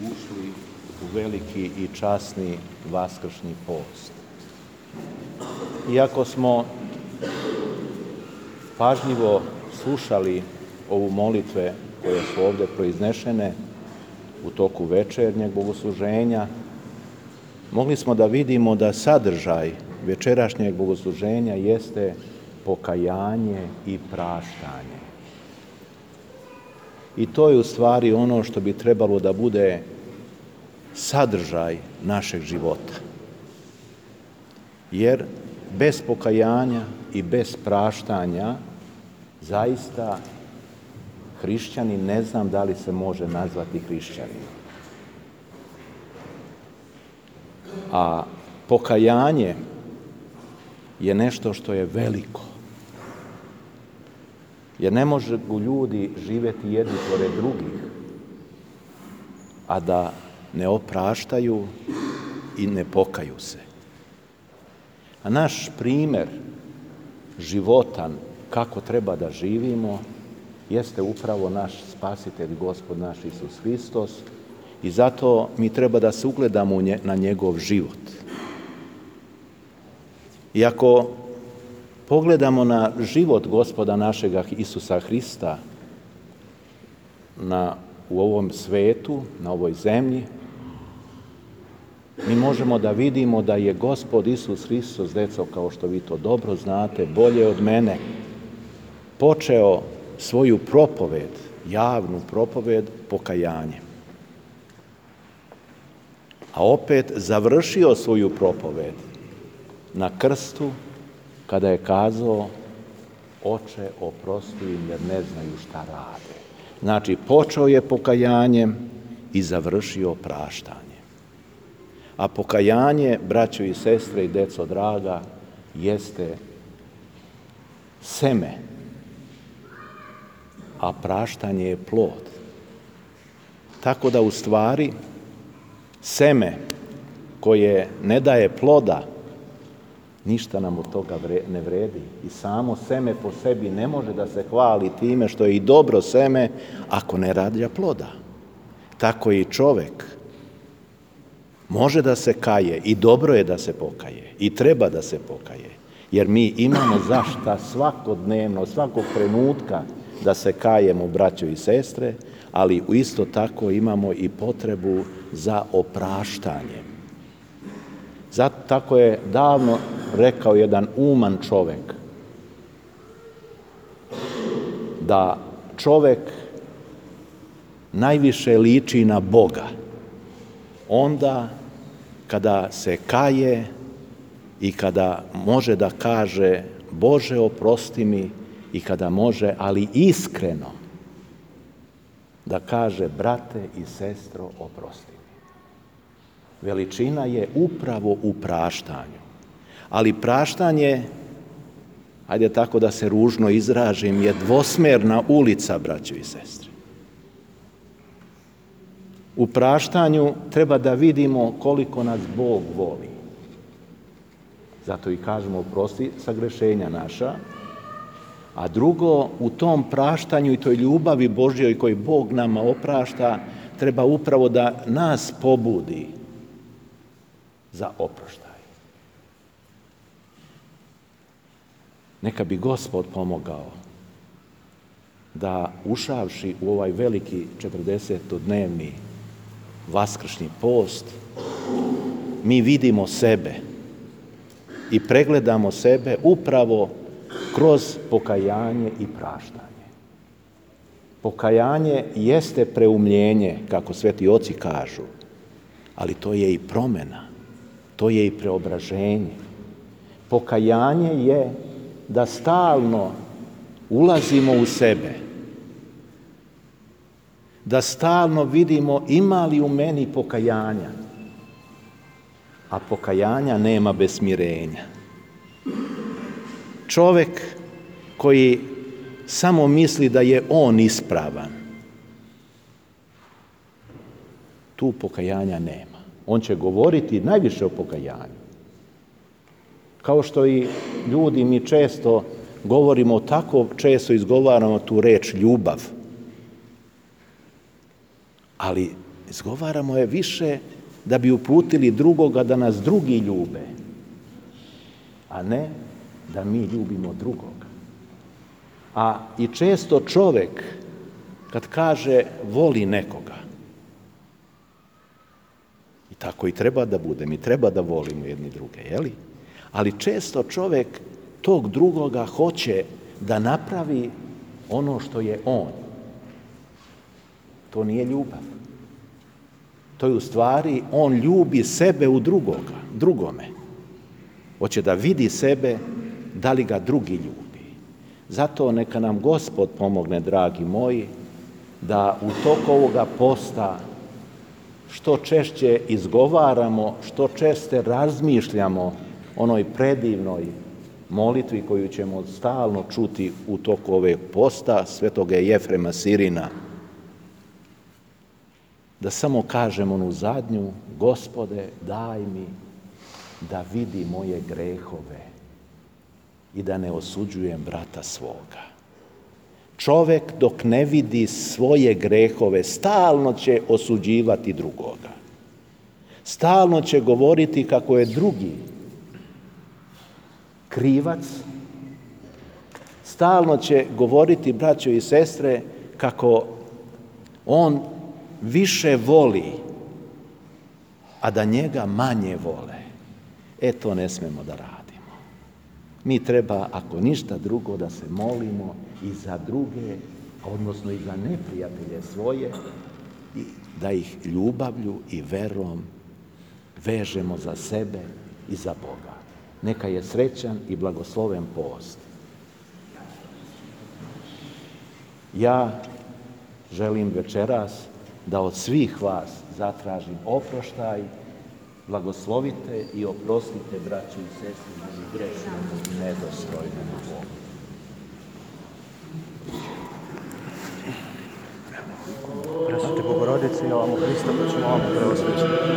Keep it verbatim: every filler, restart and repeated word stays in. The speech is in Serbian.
ušli u veliki i časni vaskršnji post. Iako smo pažljivo slušali ovu molitve koje su ovdje proiznešene u toku večernjeg bogosluženja, mogli smo da vidimo da sadržaj večerašnjeg bogosluženja jeste pokajanje i praštanje. I to je u stvari ono što bi trebalo da bude sadržaj našeg života. Jer bez pokajanja i bez praštanja zaista hrišćanin, ne znam da li se može nazvati hrišćaninom. A pokajanje je nešto što je veliko. Jer ne mogu ljudi živjeti jedni pored drugih, a da ne opraštaju i ne pokaju se. A naš primjer životan, kako treba da živimo, jeste upravo naš Spasitelj, Gospod naš Isus Hristos, i zato mi treba da se ugledamo na njegov život. I ako pogledamo na život Gospoda našega Isusa Hrista na, u ovom svetu, na ovoj zemlji, mi možemo da vidimo da je Gospod Isus Hristos, deco, kao što vi to dobro znate, bolje od mene, počeo svoju propoved, javnu propoved, pokajanjem. A opet završio svoju propoved na krstu, kada je kazao: Oče, oprosti im jer ne znaju šta rade. Znači, počeo je pokajanjem i završio praštanjem. A pokajanje, braćo i sestre i deco draga, jeste seme, a praštanje je plod. Tako da u stvari seme koje ne daje ploda, ništa nam od toga ne vredi. I samo seme po sebi ne može da se hvali time što je i dobro seme ako ne rađa ploda. Tako i čovek može da se kaje i dobro je da se pokaje i treba da se pokaje. Jer mi imamo zašta svakodnevno, svakog trenutka da se kajemo, braćo i sestre, ali isto tako imamo i potrebu za opraštanjem. Zato tako je davno rekao jedan uman čovek, da čovek najviše liči na Boga onda kada se kaje i kada može da kaže: Bože, oprosti mi, i kada može, ali iskreno, da kaže: brate i sestro, oprosti mi. Veličina je upravo u praštanju. Ali praštanje, ajde tako da se ružno izražim, je dvosmerna ulica, braćo i sestre. U praštanju treba da vidimo koliko nas Bog voli. Zato i kažemo: oprosti sagrešenja naša. A drugo, u tom praštanju i toj ljubavi Božjoj koju Bog nama oprašta, treba upravo da nas pobudi za oproštaj. Neka bi Gospod pomogao da, ušavši u ovaj veliki četrdesetodnevni vaskršnji post, mi vidimo sebe i pregledamo sebe upravo kroz pokajanje i praštanje. Pokajanje jeste preumljenje, kako sveti oci kažu, ali to je i promena, to je i preobraženje. Pokajanje je da stalno ulazimo u sebe, da stalno vidimo ima li u meni pokajanja, a pokajanja nema bez smirenja. Čovek koji samo misli da je on ispravan, tu pokajanja nema. On će govoriti najviše o pokajanju. Kao što i ljudi, mi često govorimo, tako često izgovaramo tu reč ljubav. Ali Izgovaramo je više da bi uputili drugoga da nas drugi ljube, a ne da mi ljubimo drugoga. A i često čovek kad kaže voli nekoga, i tako i treba da bude, mi treba da volimo jedni druge, jeli? Ali često čovek tog drugoga hoće da napravi ono što je on. To nije ljubav. To je u stvari, on ljubi sebe u drugoga, drugome. Hoće da vidi sebe, da li ga drugi ljubi. Zato neka nam Gospod pomogne, dragi moji, da u toku ovoga posta što češće izgovaramo, što češće razmišljamo onoj predivnoj molitvi koju ćemo stalno čuti u toku ove posta svetoga Jefrema Sirina. Da samo kažemo onu zadnju, Gospode, daj mi da vidi moje grehove i da ne osuđujem brata svoga. Čovek dok ne vidi svoje grehove, stalno će osuđivati drugoga. Stalno će govoriti kako je drugi krivac. Stalno će govoriti, braćo i sestre, kako on više voli, a da njega manje vole. E, to ne smemo da radimo. Mi treba, ako ništa drugo, da se molimo i za druge, odnosno i za neprijatelje svoje, i da ih ljubavlju i verom vežemo za sebe i za Boga. Neka je srećan i blagosloven post. Ja želim večeras da od svih vas zatražim oproštaj, blagoslovite i oprostite, braći i sestri, meni grešnom i nedostojnom Bogu. Presvete Bogorodice, ja vam u Hrista, pa ćemo vam preosvećati.